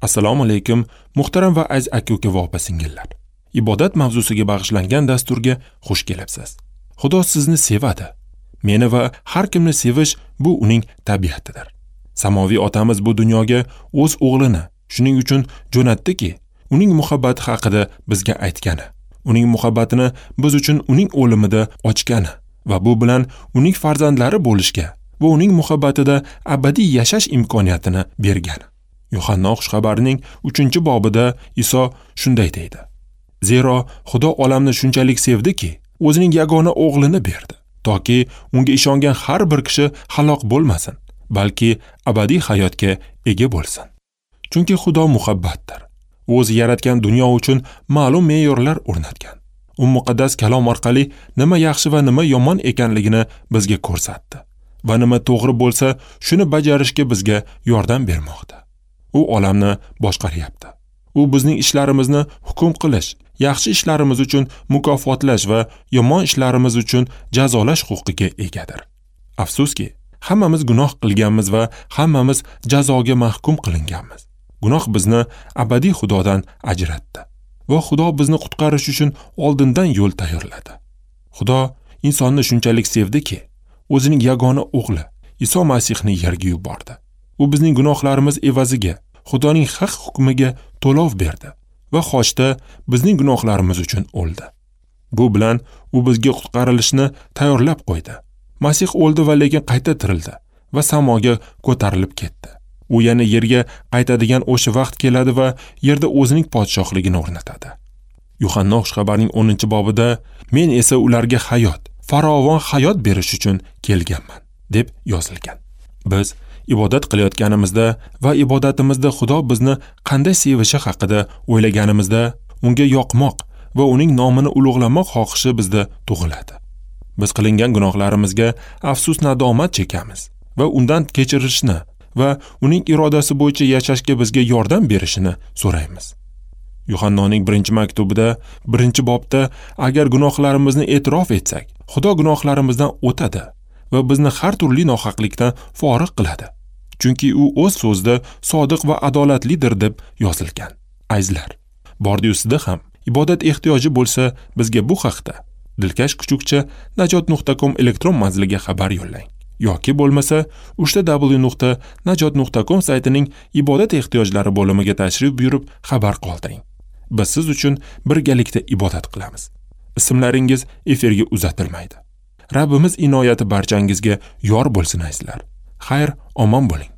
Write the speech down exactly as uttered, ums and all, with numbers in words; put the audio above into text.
Assalomu alaykum, muhtaram va aziz aka-uka va opa-singillar. Ibodat mavzusiga bag'ishlangan dasturga xush kelibsiz. Xudo sizni sevadi. Meni va har kimni sevish bu uning tabiatidir. Samoviy otamiz bu dunyoga o'z o'g'lini shuning uchun jo'natdiki, uning muhabbati haqida bizga aytgani, uning muhabbatini biz uchun uning o'limida ochgani va bu bilan uning farzandlari bo'lishga va uning muhabbatida abadiy yashash imkoniyatini bergani. Yuhanna xushxabarining uchinchi bobida Iso shunday deydi: Zero Xudo olamni shunchalik sevdiki, o'zining yagona o'g'lini berdi, toki unga ishongan har bir kishi halok bo'lmasin, balki abadiy hayotga ega bo'lsin. Chunki Xudo muhabbatdir. O'zi yaratgan dunyo uchun ma'lum me'yorlar o'rnatgan. U muqaddas kalom orqali nima yaxshi va nima yomon ekanligini bizga ko'rsatdi va nima to'g'ri bo'lsa, shuni bajarishga bizga yordam bermoqda. U olamni boshqaryapti. U bizning ishlarimizni hukm qilish, yaxshi ishlarimiz uchun mukofotlash va yomon ishlarimiz uchun jazolash huquqiga egadir. Afsuski, hammamiz gunoh qilganmiz va hammamiz jazoga mahkum qilinganmiz. Gunoh bizni abadiy Xudodan ajratdi va Xudo bizni qutqarish uchun oldindan yo'l tayyorladi. Xudo insonni shunchalik sevdiki, o'zining yagona o'g'li Iso Masihni yerga yubordi. U bizning gunohlarimiz evaziga Xudoning haq hukmiga to'lov berdi va xochda bizning gunohlarimiz uchun o'ldi. Bu bilan u bizga qutqarilishni tayyorlab qo'ydi. Masih o'ldi va lekin qayta tirildi va samoga ko'tarilib ketdi. U yana yerga qaytadigan o'sha vaqt keladi va yerda o'zining podshohligini o'rnatadi. Yuhanna xushxabarining o'ninchi bobida men esa ularga hayot, farovon hayot berish uchun kelganman deb yozilgan. Biz ibodat qilayotganimizda va ibodatimizda Xudo bizni qanday sevishi haqida o'ylaganimizda unga yoqmoq va uning nomini ulug'lamoq xohishi bizda tug'iladi. Biz qilingan gunohlarimizga afsus nadomat chekamiz va undan kechirishni va uning irodasi bo'yicha yashashga bizga yordam berishini so'raymiz. Yuhannoning birinchi maktubida, birinchi bobda agar gunohlarimizni e'tirof etsak, Xudo gunohlarimizdan o'tadi va bizni har turli nohaqlikdan forig' qiladi. Chunki u o'z so'zida sodiq va adolatlidir deb yozilgan. Azizlar, bordi ustida ham ibodat ehtiyoji bo'lsa, bizga bu haqda dilkash kuchukcha najot nuqta com elektron manziliga xabar yo'llang. Yoki bo'lmasa uchta w nuqta najot nuqta com saytining ibodat ehtiyojlari bo'limiga tashrif buyurib xabar qoldiring. Biz siz uchun birgalikda ibodat qilamiz. Ismlaringiz efirga uzatilmaydi. Rabbimiz inoyati barchangizga yor bo'lsin azizlar. Xayr, omon bo'ling.